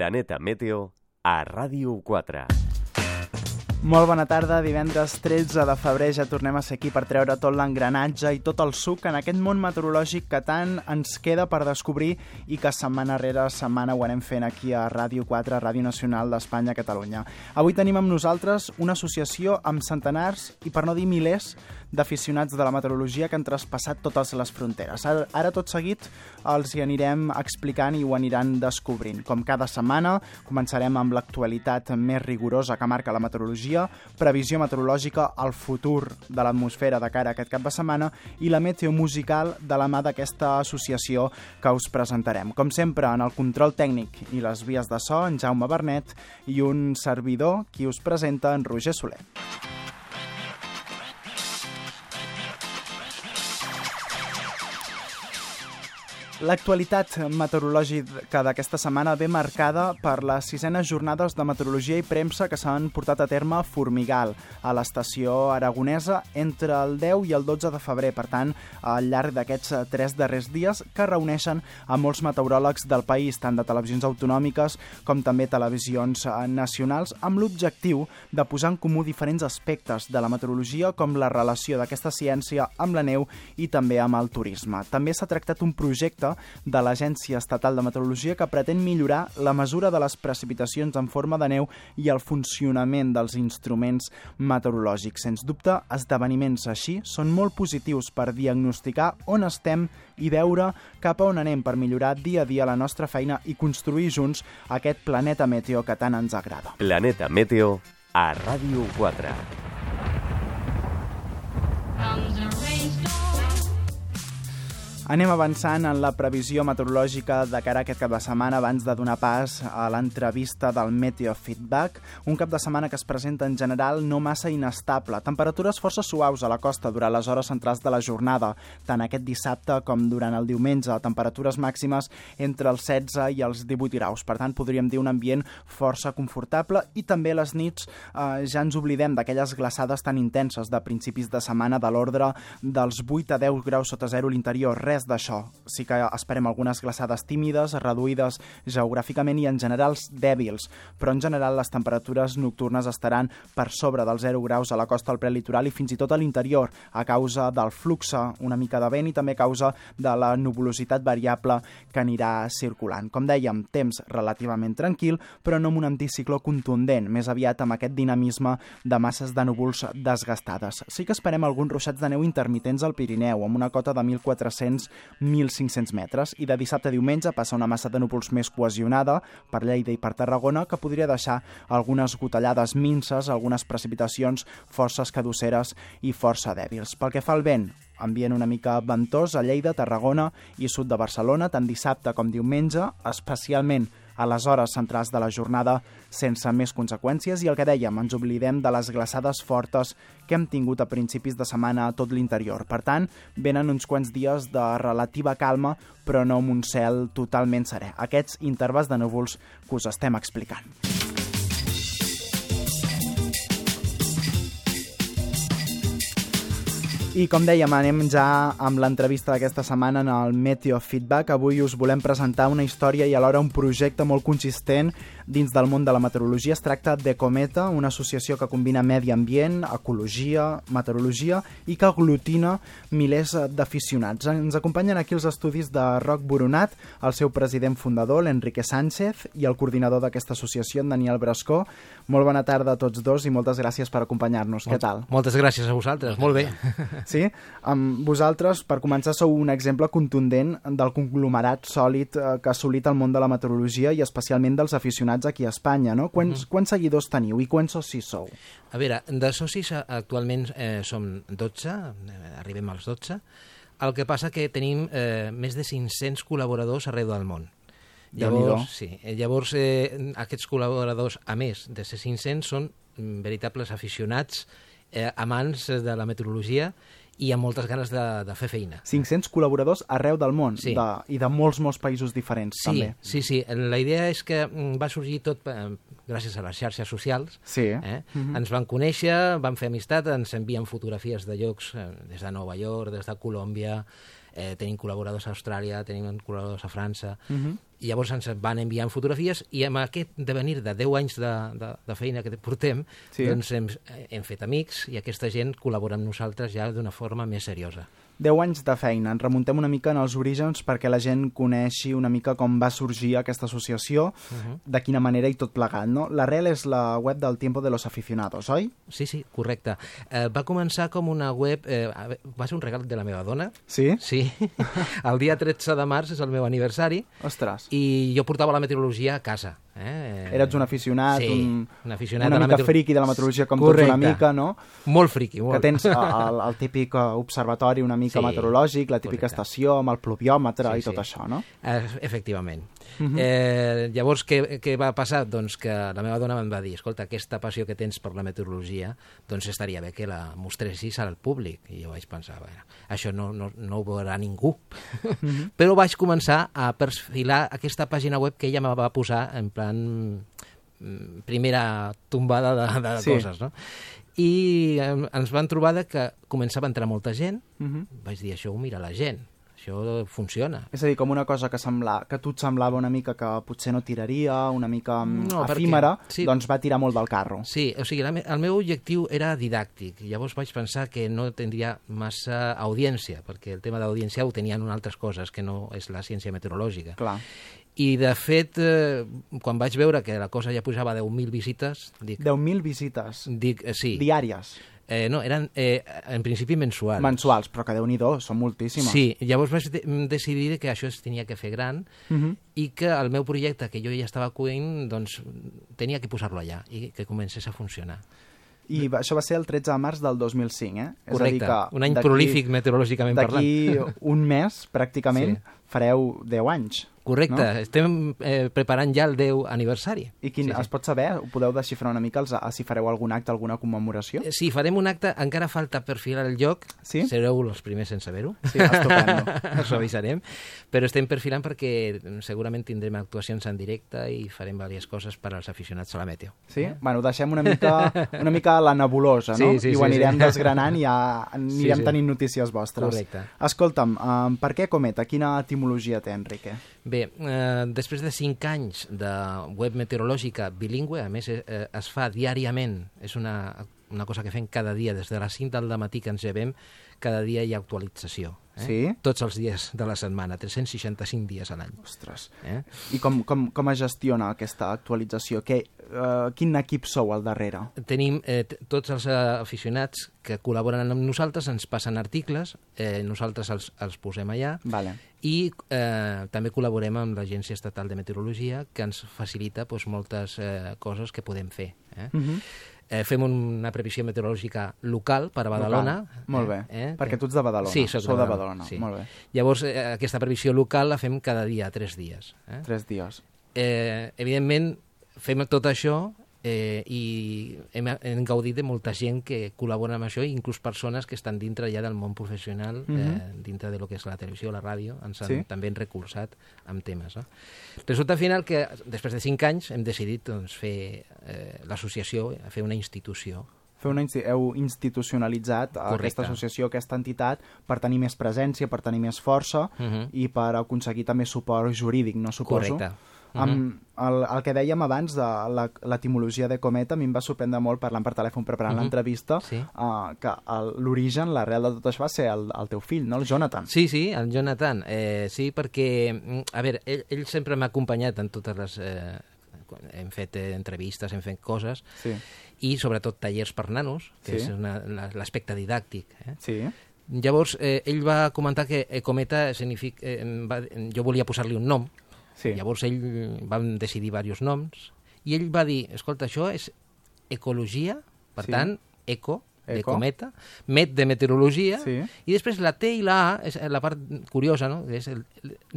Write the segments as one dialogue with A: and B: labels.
A: Planeta Meteo a Ràdio 4.
B: Molt bona tarda, divendres 13 de febrer ja tornem a ser aquí per treure tot l'engranatge i tot el suc en aquest món meteorològic que tant ens queda per descobrir i que setmana rere setmana ho anem fent aquí a Ràdio 4, Ràdio Nacional d'Espanya, Catalunya. Avui tenim amb nosaltres una associació amb centenars i per no dir milers d'aficionats de la meteorologia que han traspassat totes les fronteres. Ara tot seguit els hi anirem explicant i ho aniran descobrint. Com cada setmana, començarem amb l'actualitat més rigorosa que marca la meteorologia, previsió meteorològica, el futur de l'atmosfera de cara a aquest cap de setmana i la meteo musical de la mà d'aquesta associació que us presentarem. Com sempre, en el control tècnic i les vies de so, en Jaume Bernet i un servidor, qui us presenta, en Roger Soler. L'actualitat meteorològica d'aquesta setmana ve marcada per les 6enes jornades de meteorologia i premsa que s'han portat a terme a Formigal, a l'estació aragonesa, entre el 10 i el 12 de febrer. Per tant, al llarg d'aquests 3 darrers dies que reuneixen a molts meteoròlegs del país, tant de televisions autonòmiques com també televisions nacionals, amb l'objectiu de posar en comú diferents aspectes de la meteorologia, com la relació d'aquesta ciència amb la neu i també amb el turisme. També s'ha tractat un projecte de l'Agència Estatal de Meteorologia que pretén millorar la mesura de les precipitacions en forma de neu i el funcionament dels instruments meteorològics. Sens dubte, esdeveniments així són molt positius per diagnosticar on estem i veure cap a on anem per millorar dia a dia la nostra feina i construir junts aquest planeta meteo que tant ens agrada.
A: Planeta Meteo a Ràdio 4.
B: Anem avançant en la previsió meteorològica de cara a aquest cap de setmana abans de donar pas a l'entrevista del Meteo Feedback, un cap de setmana que es presenta en general no massa inestable. Temperatures força suaus a la costa durant les hores centrals de la jornada, tant aquest dissabte com durant el diumenge, temperatures màximes entre els 16 i els 18 graus. Per tant, podríem dir un ambient força confortable i també les nits ja ens oblidem d'aquelles glaçades tan intenses de principis de setmana de l'ordre dels 8 a 10 graus sota zero a l'interior. Res d'això. Sí que esperem algunes glaçades tímides, reduïdes geogràficament i en general dèbils, però en general les temperatures nocturnes estaran per sobre dels 0 graus a la costa del prelitoral i fins i tot a l'interior, a causa del flux una mica de vent i també a causa de la nuvolositat variable que anirà circulant. Com dèiem, temps relativament tranquil, però no amb un anticicló contundent, més aviat amb aquest dinamisme de masses de núvols desgastades. Sí que esperem alguns ruixats de neu intermitents al Pirineu, amb una cota de 1.400-1.500 metres, i de dissabte a diumenge passa una massa de núvols més cohesionada per Lleida i per Tarragona que podria deixar algunes gotellades minces, algunes precipitacions força escadusseres i força dèbils. Pel que fa al vent, ambient una mica ventós a Lleida, Tarragona i sud de Barcelona, tant dissabte com diumenge, especialment a les hores centrals de la jornada sense més conseqüències i el que dèiem, ens oblidem de les glaçades fortes que hem tingut a principis de setmana a tot l'interior. Per tant, venen uns quants dies de relativa calma, però no amb un cel totalment serè. Aquests intervals de núvols que us estem explicant. I com dèiem, anem ja amb l'entrevista d'aquesta setmana en el Meteo Feedback. Avui us volem presentar una història i alhora un projecte molt consistent dins del món de la meteorologia. Es tracta d'Ecometa, una associació que combina medi ambient, ecologia, meteorologia i que aglutina milers d'aficionats. Ens acompanyen aquí els estudis de Roc Boronat, el seu president fundador, l'Enrique Sánchez, i el coordinador d'aquesta associació, en Daniel Brascó. Molt bona tarda a tots dos i moltes gràcies per acompanyar-nos. Què tal?
C: Moltes gràcies a vosaltres, molt bé.
B: Sí? Vosaltres, per començar, sou un exemple contundent del conglomerat sòlid que ha assolit el món de la meteorologia i especialment dels aficionats aquí a Espanya, no? Quants seguidors teniu i quants socis sou?
C: A veure, de socis actualment som 12, arribem als 12. El que passa que tenim més de 500 col·laboradors arreu del món. Llavors, aquests col·laboradors, a més de ser 500, són veritables aficionats, amants de la meteorologia i amb moltes ganes de fer feina.
B: 500 col·laboradors arreu del món,
C: sí.
B: I de molts països diferents,
C: sí, també. Sí. La idea és que va sorgir tot gràcies a les xarxes socials.
B: Sí.
C: Ens van conèixer, van fer amistat, ens envien fotografies de llocs des de Nova York, des de Colòmbia, tenim col·laboradors a Austràlia, tenim col·laboradors a França, I llavors ens van enviant fotografies i amb aquest devenir de 10 anys de feina que portem, doncs hem fet amics i aquesta gent col·labora amb nosaltres ja d'una forma més seriosa.
B: 10 anys de feina. Ens remuntem una mica en els orígens perquè la gent coneixi una mica com va sorgir aquesta associació, de quina manera i tot plegat, no? L'arrel és la web del Tiempo de los Aficionados, oi?
C: Sí, correcte. Va començar com una web... va ser un regal de la meva dona.
B: Sí?
C: Sí. El dia 13 de març és el meu aniversari.
B: Ostres.
C: I jo portava la meteorologia a casa.
B: Eres un aficionat,
C: un aficionat
B: una mica friqui de la meteorologia, com tots una mica, no?
C: Molt friqui, molt.
B: Que tens el típic observatori una mica meteorològic, la típica estació amb el pluviòmetre i tot això, no?
C: Efectivament. Llavors, què va passar? Doncs que la meva dona em va dir, escolta, aquesta passió que tens per la meteorologia, doncs estaria bé que la mostressis al públic. I jo vaig pensar, bueno, això no ho veurà ningú. Però vaig començar a perfilar aquesta pàgina web que ella me va posar en plan primera tombada de coses, no? I ens van trobar que començava a entrar molta gent. Vaig dir, això ho mira la gent, això funciona.
B: És a dir, com una cosa que a tu et semblava una mica que potser no tiraria, una mica efímera, doncs va tirar molt del carro.
C: Sí, o sigui, el meu objectiu era didàctic. Llavors vaig pensar que no tindria massa audiència, perquè el tema d'audiència ho tenien altres coses, que no és la ciència meteorològica.
B: Clar.
C: I, de fet, quan vaig veure que la cosa ja pujava a 10.000 visites...
B: 10.000 visites?
C: Sí.
B: Diàries?
C: No, eren en principi mensuals.
B: Mensuals, però que Déu-n'hi-do, són moltíssimes.
C: Sí, llavors vaig decidir que això es tenia que fer gran i que el meu projecte, que jo ja estava cuint, doncs tenia que posar-lo allà i que comencés a funcionar.
B: I això va ser el 13 de març del 2005,
C: Correcte, és a dir que un any prolífic meteorològicament parlant.
B: D'aquí un mes, pràcticament, fareu 10 anys.
C: Correcte, no? Estem preparant ja el 10 aniversari. I
B: es pot saber, ho podeu desxifrar una mica, si fareu algun acte, alguna commemoració?
C: Sí, farem un acte, encara falta perfilar el lloc, sereu els primers en saber-ho.
B: Sí, estupendo.
C: Us avisarem, però estem perfilant perquè segurament tindrem actuacions en directe i farem diverses coses per als aficionats a la meteo.
B: Sí? Bueno, deixem una mica la nebulosa, no? I ho anirem desgranant i ja anirem tenint notícies vostres.
C: Correcte.
B: Escolta'm, per què Cometa? Quina etimologia té, Enrique?
C: Bé, després de 5 anys de web meteorològica bilingüe, a més es fa diàriament, és una cosa que fem cada dia, des de les 5 del matí que ens llevem, cada dia hi ha actualització.
B: Sí?
C: Tots els dies de la setmana, 365 dies a l'any.
B: Ostres. I com es gestiona aquesta actualització? Quin equip sou al darrere?
C: Tenim tots els aficionats que col·laboren amb nosaltres, ens passen articles, nosaltres els posem allà, i també col·laborem amb l'Agència Estatal de Meteorologia, que ens facilita moltes coses que podem fer. Fem una previsió meteorològica local per a Badalona.
B: Molt bé, perquè tu ets de Badalona.
C: Sí, soc
B: de Badalona.
C: Sí.
B: Molt bé.
C: Llavors, aquesta previsió local la fem cada dia, 3 dies.
B: 3 dies.
C: Evidentment, fem tot això i hem gaudit de molta gent que col·labora amb això, inclús persones que estan dintre ja del món professional, dintre de lo que és la televisió, la ràdio, ens han també recolzat amb temes. No? Resulta final que després de 5 anys hem decidit fer l'associació, fer una institució.
B: Heu institucionalitzat aquesta associació, aquesta entitat, per tenir més presència, per tenir més força i per aconseguir també suport jurídic, no suposo?
C: Correcte.
B: El que dèiem abans de l'etimologia de Cometa, a mi em va sorprendre molt, parlant per telèfon preparant l'entrevista, que l'origen, l'arrel de tot això va ser el teu fill, no? El Jonathan.
C: Sí, el Jonathan. Sí, perquè, a veure, ell sempre m'ha acompanyat en totes les... hem fet entrevistes, hem fet coses, i sobretot tallers per nanos, que és l'aspecte didàctic. Llavors, ell va comentar que Cometa significa... jo volia posar-li un nom. Llavors ell vam decidir diversos noms i ell va dir, escolta, això és ecologia, per tant, eco, de cometa, met de meteorologia, i després la T i la A, és la part curiosa, no? És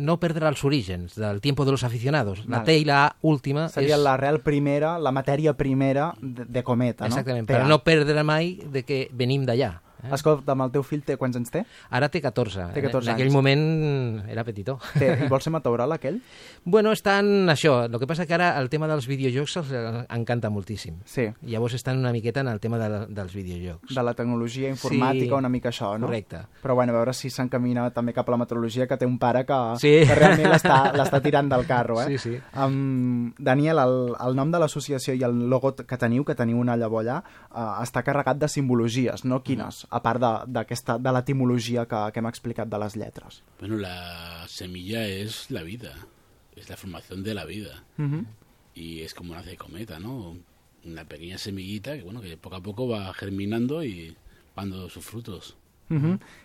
C: no perdre els orígens del Tiempo de los Aficionados. La T i la A última
B: seria l'arrel primera, la matèria primera de Cometa, no?
C: Exactament, per no perdre mai de que venim d'allà.
B: Escolta, amb el teu fill quants anys té?
C: Ara té 14.
B: Té 14
C: en aquell
B: anys.
C: moment era petitó.
B: I vol ser meteoròleg, aquell?
C: Bueno, estan això. El que passa que ara el tema dels videojocs els encanta moltíssim.
B: Sí.
C: Llavors estan una miqueta en el tema dels videojocs.
B: De la tecnologia informàtica,
C: Sí,
B: una mica això, no?
C: correcte.
B: Però bueno, a veure si s'encamina també cap a la meteorologia, que té un pare que,
C: Sí.
B: que realment l'està tirant del carro, eh?
C: Sí, sí.
B: Daniel, el nom de l'associació i el logo que teniu una llavor allà, està carregat de simbologies, no? Quines? A part de l'etimologia que hem explicat de les lletres.
D: Bueno, la semilla es la vida, es la formación de la vida. Y es como nace Cometa, ¿no? Una pequeña semillita que, bueno, que poco a poco va germinando y dando sus frutos.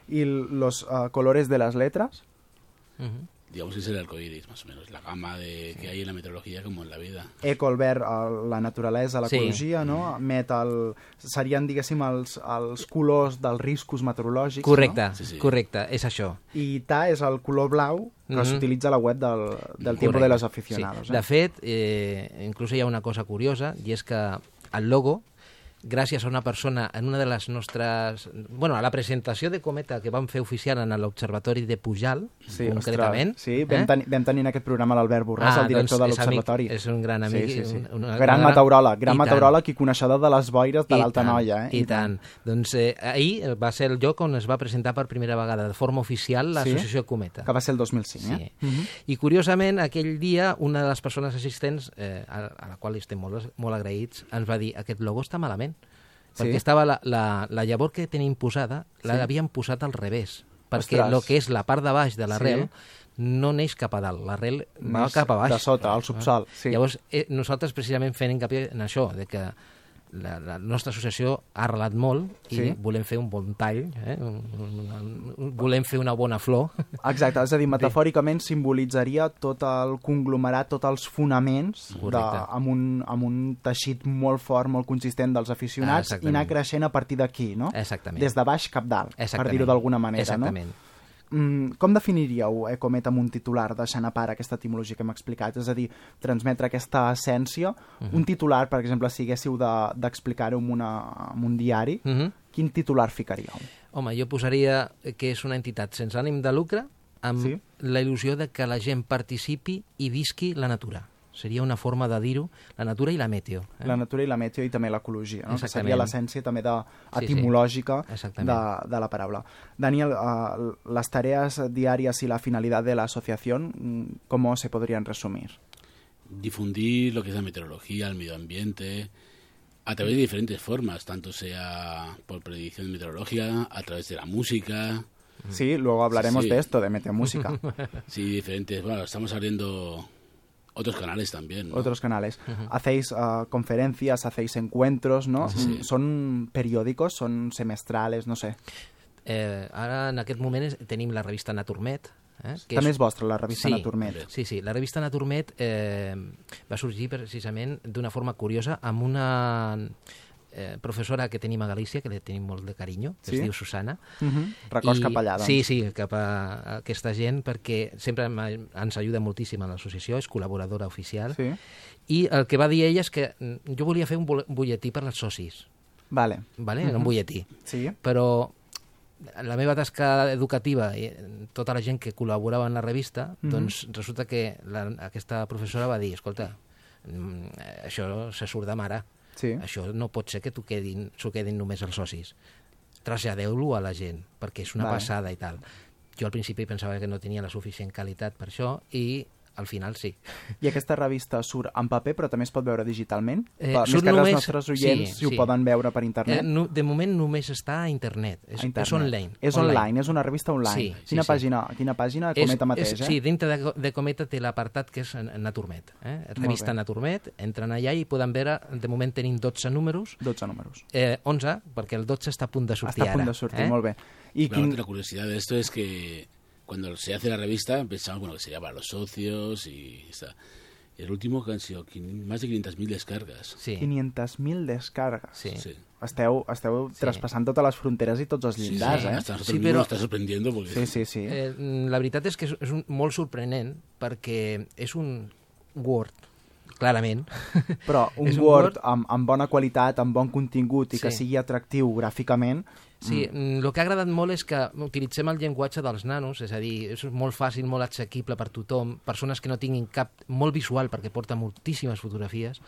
B: ¿Y los colores de las letras?
D: Digamos que es el arcoíris, más o menos, la gama que hay en la meteorología como en la vida.
B: Eco, el verd, la naturalesa, l'ecologia, no? Metal, serien, diguéssim, els colors dels riscos meteorològics,
C: Correcte,
B: no?
D: Sí.
C: correcte, és això.
B: I Ta és el color blau que s'utilitza a la web del Tiempo de los Aficionados.
C: Sí. De fet, inclús hi ha una cosa curiosa, i és que el logo, gràcies a una persona en una de les nostres... Bueno, a la presentació de Cometa que vam fer oficial en l'Observatori de Pujal,
B: Sí,
C: concretament.
B: ostres, sí, vam tenir en aquest programa l'Albert Borràs, el director de l'Observatori.
C: És un gran amic.
B: Sí.
C: Una
B: Gran meteoròleg i coneixedor de les boires de l'Alta Noia.
C: I tant. Doncs ahir va ser el lloc on es va presentar per primera vegada de forma oficial l'associació Cometa.
B: Que va ser el 2005,
C: Sí. I curiosament, aquell dia, una de les persones assistents, a la qual estem molt agraïts, ens va dir: aquest logo està malament. Perquè estava la llavor que tenim posada, l'havien posat al revés. Perquè el que és la part de baix de l'arrel no neix cap a dalt, l'arrel va cap a baix.
B: De sota, al subsol. Sí.
C: Llavors, nosaltres precisament fent encapi en això, de que la nostra associació ha arrelat molt i volem fer un bon tall, volem fer una bona flor.
B: Exacte, és a dir, metafòricament simbolitzaria tot el conglomerat, tots els fonaments amb un teixit molt fort, molt consistent dels aficionats i anar creixent a partir d'aquí, no?
C: Exactament.
B: Des de baix cap dalt, per dir-ho d'alguna manera,
C: Exactament.
B: no? Com definiríeu, Cometa, amb un titular, deixant a part aquesta etimologia que hem explicat? És a dir, transmetre aquesta essència. Un titular, per exemple, si haguéssiu d'explicar-ho en un diari, quin titular ficaríeu?
C: Home, jo posaria que és una entitat sense ànim de lucre amb la il·lusió de que la gent participi i visqui la natura. Seria una forma de dir-ho, la natura i la meteo.
B: La natura i la meteo i també l'ecologia, no? Que seria l'essència també etimològica de la paraula. Daniel, las tareas diarias y la finalidad de la asociación, ¿cómo se podrían resumir?
D: Difundir lo que es la meteorología, el medio ambiente, a través de diferentes formas, tanto sea por predicción meteorológica, a través de la música.
B: Sí, luego hablaremos de esto, de meteomúsica.
D: Sí, diferentes. Bueno, estamos abriendo otros canales también, ¿no?
B: Otros canales. Hacéis conferencias, hacéis encuentros, ¿no? ¿Son periódicos, son semestrales, no sé?
C: Ara, en aquest moment, tenim la revista Naturmet.
B: També és vostra, la revista Naturmet.
C: Sí, la revista Naturmet va sorgir precisament d'una forma curiosa amb una professora que tenim a Galícia, que li tenim molt de carinyo, que es diu Susana.
B: Records cap allà, doncs.
C: Sí, cap a aquesta gent, perquè sempre ens ajuda moltíssim a l'associació, és col·laboradora oficial. I el que va dir ella és que jo volia fer un butlletí per als socis.
B: Vale.
C: Un butlletí.
B: Sí.
C: Però la meva tasca educativa i tota la gent que col·laborava en la revista, doncs resulta que aquesta professora va dir: escolta, això se surt de mare. Això no pot ser que s'ho quedin només els socis. Traslladeu-lo a la gent, perquè és una passada i tal. Jo al principi pensava que no tenia la suficient qualitat per això i al final sí.
B: I aquesta revista surt en paper, però també es pot veure digitalment?
C: Més
B: que els nostres oients si ho poden veure per internet?
C: De moment només està a internet. És online.
B: És online, és una revista online. Quina pàgina? Cometa mateix,
C: Sí, dintre de Cometa té l'apartat que és Naturmet. Revista Naturmet, entren allà i poden veure, de moment tenim 12 números.
B: 12 números.
C: 11, perquè el 12 està a punt de sortir ara.
B: Està a punt de sortir, molt bé.
D: La curiosidad de esto es que cuando se hace la revista pensamos que sería para los socios y está. Y el último que han sido más de 500.000 descargas.
B: 500.000 descargas.
C: Sí.
B: Esteu traspassant totes les fronteres i tots els llindars,
D: Hasta nosotros mismos está sorprendiendo porque...
B: Sí.
C: La veritat és que és molt sorprenent perquè és un Word clarament.
B: Però un Word amb bona qualitat, amb bon contingut i que sigui atractiu gràficament...
C: Sí, el que ha agradat molt és que utilitzem el llenguatge dels nanos, és a dir, és molt fàcil, molt assequible per tothom, persones que no tinguin cap... molt visual, perquè porta moltíssimes fotografies,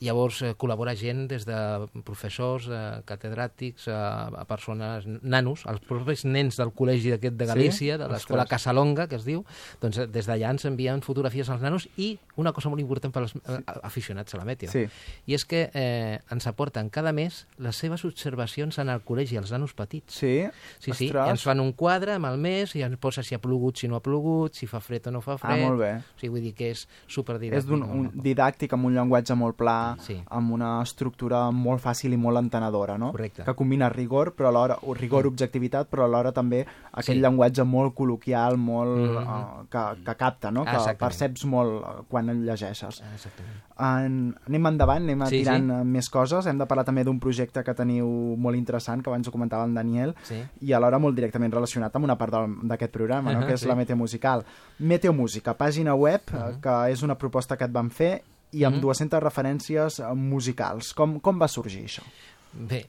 C: llavors col·labora gent des de professors, catedràtics, a persones, nanos, els propis nens del col·legi d'aquest de Galícia, de l'escola Casalonga, que es diu, doncs des d'allà ens envien fotografies als nanos i una cosa molt important per als aficionats a la Meteo, i és que ens aporten cada mes les seves observacions en el col·legi, els nanos petits.
B: Sí?
C: Sí, i ens fan un quadre amb el mes i ens posa si ha plogut, si no ha plogut, si fa fred o no fa fred.
B: Molt bé.
C: O sigui, vull dir que és superdidàctic.
B: És un didàctic amb un llenguatge molt pla, amb una estructura molt fàcil i molt entenedora, no?
C: Correcte.
B: Que combina rigor, però alhora objectivitat, però alhora també aquell llenguatge molt col·loquial, molt que capta, no? Que perceps molt quan el llegeixes.
C: Exactament.
B: Anem endavant, anem tirant més coses. Hem de parlar també d'un projecte que teniu molt interessant, que abans ho comentava en Daniel, i alhora molt directament relacionat amb una part d'aquest programa, no? Que és la Meteo Musical. Meteo Música, pàgina web, que és una proposta que et van fer, i amb 200 referències musicals. Com va sorgir això?
C: Bé,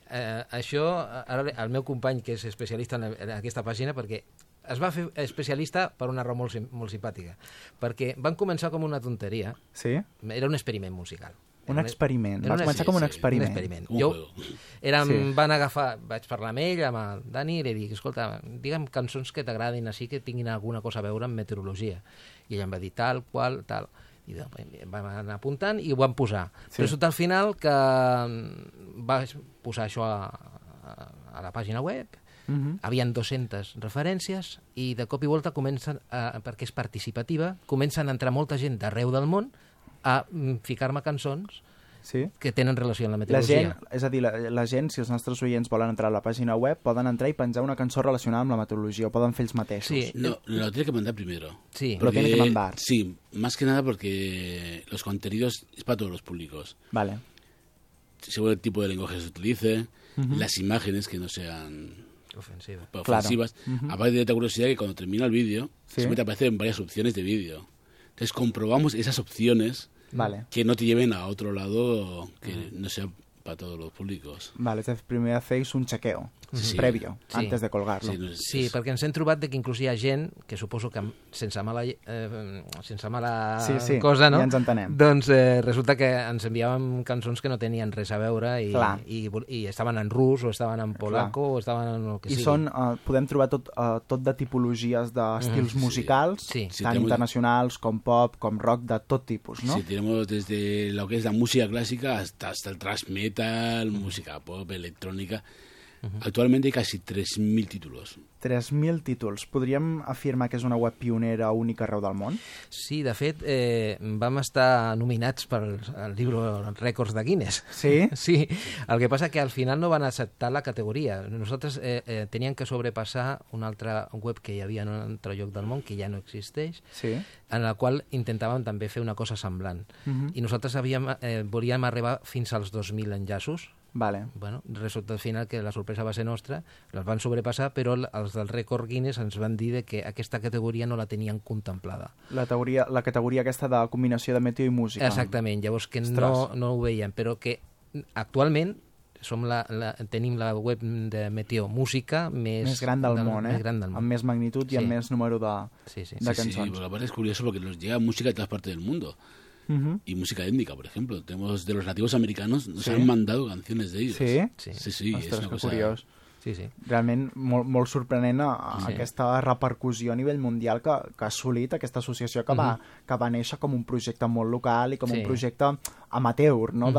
C: això, ara el meu company, que és especialista en aquesta pàgina, perquè es va fer especialista per una raó molt simpàtica, perquè van començar com una tonteria.
B: Sí?
C: Era un experiment musical.
B: Un experiment. Va començar com un experiment.
C: Un experiment. Vaig parlar amb ell, amb el Dani, i li dic, escolta, digue'm cançons que t'agradin així, que tinguin alguna cosa a veure amb meteorologia. I ell em va dir tal, qual, tal. I vam anar apuntant i ho vam posar. Però resulta al final que vaig posar això a la pàgina web, havien 200 referències i de cop i volta comencen, perquè és participativa, comencen a entrar molta gent d'arreu del món a ficar-me cançons que tenen relació amb la meteorologia.
B: És a dir, la gent, si els nostres oients volen entrar a la pàgina web, poden entrar i penjar una cançó relacionada amb la meteorologia, o poden fer ells mateixos.
D: Sí, lo tiene que mandar primero.
C: Sí.
B: Lo tiene que mandar.
D: Sí, más que nada porque los contenidos es para todos los públicos.
B: Vale.
D: Según el tipo de lenguaje que se utilice, las imágenes que no sean ofensivas. Aparte de la curiosidad que cuando termina el vídeo, siempre te aparecen varias opciones de vídeo. Entonces comprobamos esas opciones que no te lleven a otro lado que no sea para todos los públicos.
B: Vale, entonces primero hacéis un chequeo previo, antes de colgarlo.
C: Sí, perquè ens hem trobat que inclús hi ha gent, que suposo que sense mala cosa, no?
B: Ja ens entenem.
C: Doncs resulta que ens enviàvem cançons que no tenien res a veure i estaven en rus, o estaven en polaco, o estaven en el que sigui.
B: I podem trobar tot de tipologies d'estils musicals, tant internacionals com pop, com rock, de tot tipus, ¿no?
D: Sí, tenemos desde lo que es la música clásica hasta el thrash metal, música pop, electrónica. Actualmente hay casi 3.000 títulos. 3.000
B: títols. Podríem afirmar que és una web pionera única arreu del món?
C: Sí, de fet, vam estar nominats per al llibre Rècords de Guinness.
B: Sí?
C: Sí, el que passa que al final no van acceptar la categoria. Nosaltres teníem que sobrepassar una altra web que hi havia en un altre lloc del món, que ja no existeix, en la qual intentàvem també fer una cosa semblant. I nosaltres volíem arribar fins als 2.000 enllaços.
B: Vale.
C: Bueno, resulta al final que la sorpresa va ser nostra, les van sobrepassar, però els del Rècord Guinness ens van dir que aquesta categoria no la tenien contemplada.
B: La categoria aquesta de combinació de meteo i música.
C: Exactament, llavors que no ho veiem, però que actualment tenim la web de Meteo Música més
B: gran del món, amb més magnitud i amb més número de cançons.
D: Sí, la verdad es curioso porque nos llega música de todas partes del mundo. Y música étnica, por ejemplo. Tenemos de los nativos americanos, nos han mandado canciones de ellos. Sí,
B: ostres,
D: és una cosa
B: curiós.
C: Sí.
B: Realment molt sorprenent aquesta repercussió a nivell mundial que ha assolit aquesta associació que va néixer com un projecte molt local i com un projecte amateur, no?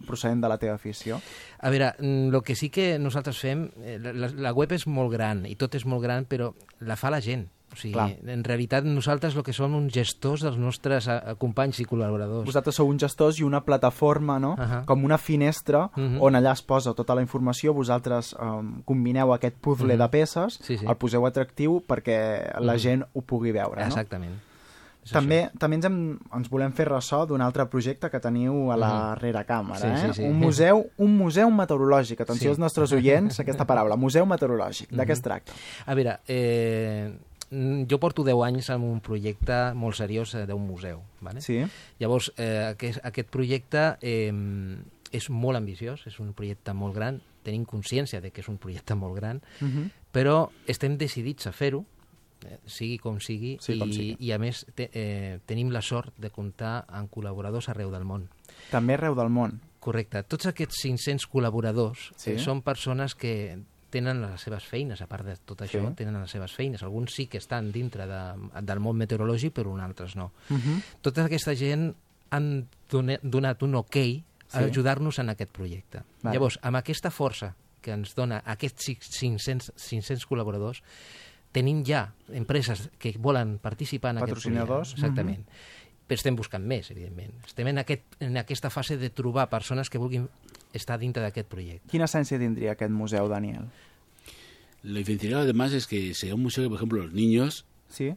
B: Procedent de la teva afició.
C: A veure, el que sí que nosaltres fem, la web és molt gran i tot és molt gran, però la fa la gent. O sigui, en realitat nosaltres el que som uns gestors dels nostres companys i col·laboradors.
B: Vosaltres sou uns gestors i una plataforma, no? Com una finestra on allà es posa tota la informació, vosaltres combineu aquest puzzle de peces, el poseu atractiu perquè la gent ho pugui veure, no?
C: Exactament.
B: També ens volem fer ressò d'un altre projecte que teniu a la reracàmera. Un museu meteorològic. Atenció als nostres oients, aquesta paraula, museu meteorològic. De què es tracta?
C: A veure, jo porto 10 anys en un projecte molt seriós d'un museu. Vale?
B: Sí.
C: Llavors, aquest projecte és molt ambiciós, és un projecte molt gran, tenim consciència de que és un projecte molt gran, però estem decidits a fer-ho, sigui com sigui, i a més tenim la sort de comptar amb col·laboradors arreu del món.
B: També arreu del món.
C: Correcte. Tots aquests 500 col·laboradors són persones que tenen les seves feines, a part de tot això, tenen les seves feines. Alguns sí que estan dintre del món meteorològic, però altres no. Tota aquesta gent han donat un ok a ajudar-nos en aquest projecte. Llavors, amb aquesta força que ens dona aquests 500 col·laboradors, tenim ja empreses que volen participar en aquest projecte.
B: Patrocinadors.
C: Exactament. Però estem buscant més, evidentment. Estem en aquesta fase de trobar persones que vulguin estar dintre d'aquest projecte.
B: Quina essència tindria aquest museu, Daniel?
D: Lo diferencial además es que sería un museo que, por ejemplo, los niños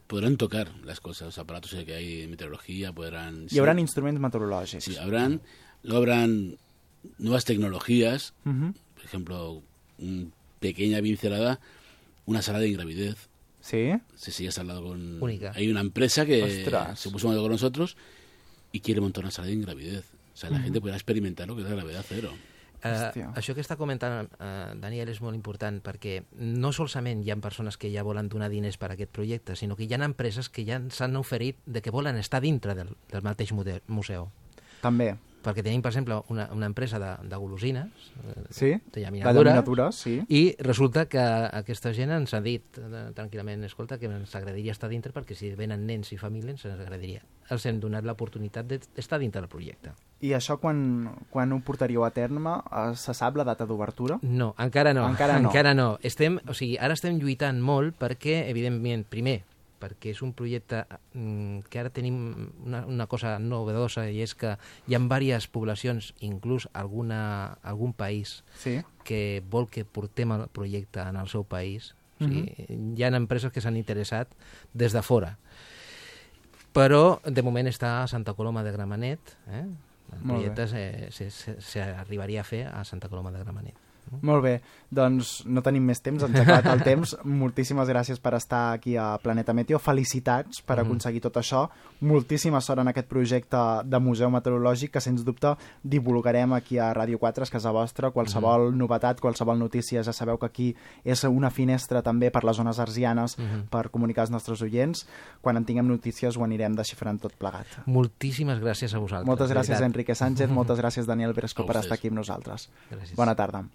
D: podrán tocar las cosas, los aparatos que hay en meteorología, podrán...
B: Hi haurà instruments meteorològics.
D: Sí, luego habrán nuevas tecnologías, por ejemplo, una pequeña pincelada, una sala de ingravidez.
B: ¿Sí?
D: Sí, ya se ha hablado con...
C: Única.
D: Hay una empresa que
B: se
D: puso con nosotros y quiere montar una sala de ingravidez. O sea, la gente podrà experimentar lo que és la gravedad cero.
C: Això que està comentant Daniel és molt important perquè no solament hi ha persones que ja volen donar diners per a aquest projecte, sinó que hi ha empreses que ja s'han oferit de que volen estar dintre del mateix museu.
B: També.
C: Perquè tenim, per exemple, una empresa de golosines,
B: de llaminadures,
C: i resulta que aquesta gent ens ha dit tranquil·lament, escolta, que ens agradaria estar dintre perquè si venen nens i famílies ens agradaria. Els hem donat l'oportunitat d'estar dintre del projecte.
B: I això quan ho portaríeu a terme? Se sap la data d'obertura?
C: No, encara no. Encara no. Ara estem lluitant molt perquè, evidentment, primer, perquè és un projecte que ara tenim una cosa novedosa i és que hi ha diverses poblacions, inclús algun país, que vol que portem el projecte en el seu país. Hi ha empreses que s'han interessat des de fora. Però, de moment, està a Santa Coloma de Gramenet. El projecte s'arribaria a fer a Santa Coloma de Gramenet.
B: Molt bé, doncs no tenim més temps, ens ha acabat el temps. Moltíssimes gràcies per estar aquí a Planeta Meteo. Felicitats per aconseguir tot això. Moltíssima sort en aquest projecte de museu meteorològic que, sens dubte, divulgarem aquí a Ràdio 4, és casa vostra. Qualsevol novetat, qualsevol notícia, ja sabeu que aquí és una finestra també per les zones arsianes per comunicar als nostres oients. Quan en tinguem notícies ho anirem desxifrant tot plegat.
C: Moltíssimes gràcies a vosaltres.
B: Moltes gràcies, Enrique Sánchez. Moltes gràcies, Daniel Bresco, per estar aquí amb nosaltres.
C: Gràcies.
B: Bona tarda.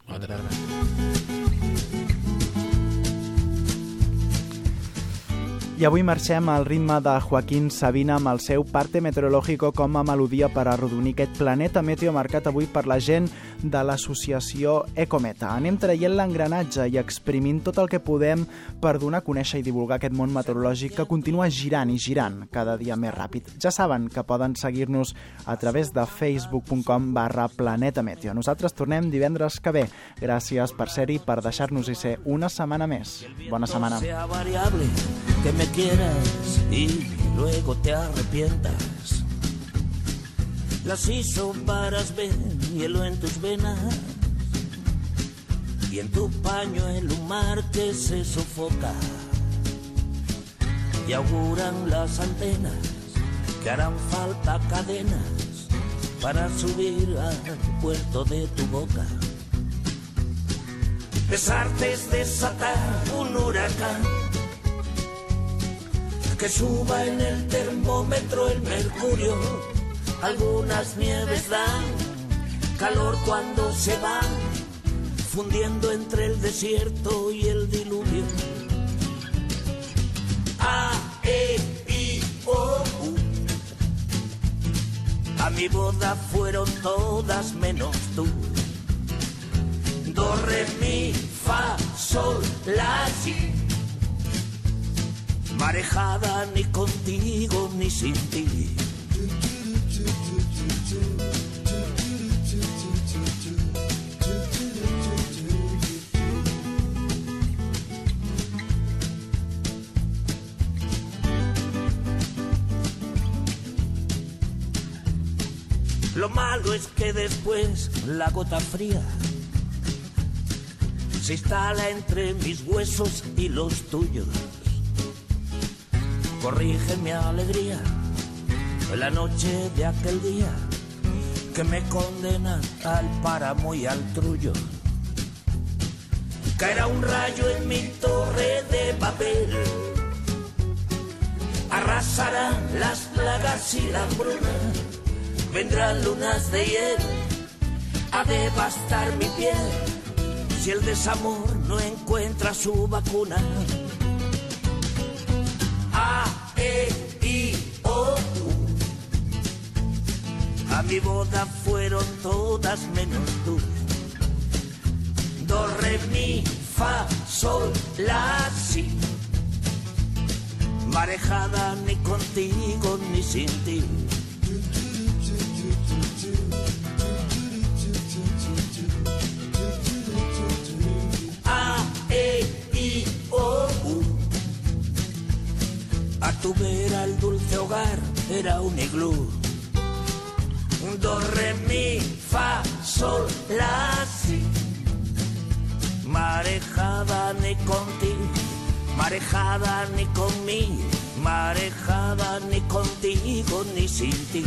B: I avui marxem al ritme de Joaquín Sabina amb el seu Parte Meteorológico com a melodia per arrodonir aquest Planeta Meteo marcat avui per la gent de l'associació Ecometa. Anem traient l'engranatge i exprimint tot el que podem per donar a conèixer i divulgar aquest món meteorològic que continua girant i girant cada dia més ràpid. Ja saben que poden seguir-nos a través de facebook.com/Planeta Meteo. Nosaltres tornem divendres que ve. Gràcies per ser-hi, per deixar-nos-hi ser una setmana més. Bona setmana.
E: Que me quieras y luego te arrepientas. Las isóbaras ven hielo en tus venas y en tu pañuelo un mar que se sofoca y auguran las antenas que harán falta cadenas para subir al puerto de tu boca. Besarte es desatar un huracán que suba en el termómetro el mercurio. Algunas nieves dan calor cuando se van fundiendo entre el desierto y el diluvio. A, E, I, O, U. A mi boda fueron todas menos tú. Do, re, mi, fa, sol, la, si. Marejada ni contigo ni sin ti. Lo malo es que después la gota fría se instala entre mis huesos y los tuyos. corrige mi alegría en la noche de aquel día que me condena al páramo y al trullo. Caerá un rayo en mi torre de papel, arrasarán las plagas y la hambruna, vendrán lunas de hiel a devastar mi piel si el desamor no encuentra su vacuna. A, E, I, O, U. A mi boda fueron todas menos tú. Do, re, mi, fa, sol, la, si. Marejada ni contigo ni sin ti. A, E, I, O, U. A tu vera el dulce hogar era un iglú. Do, re, mi, fa, sol, la, si. Marejada ni contigo, marejada ni conmigo, marejada ni contigo ni sin ti.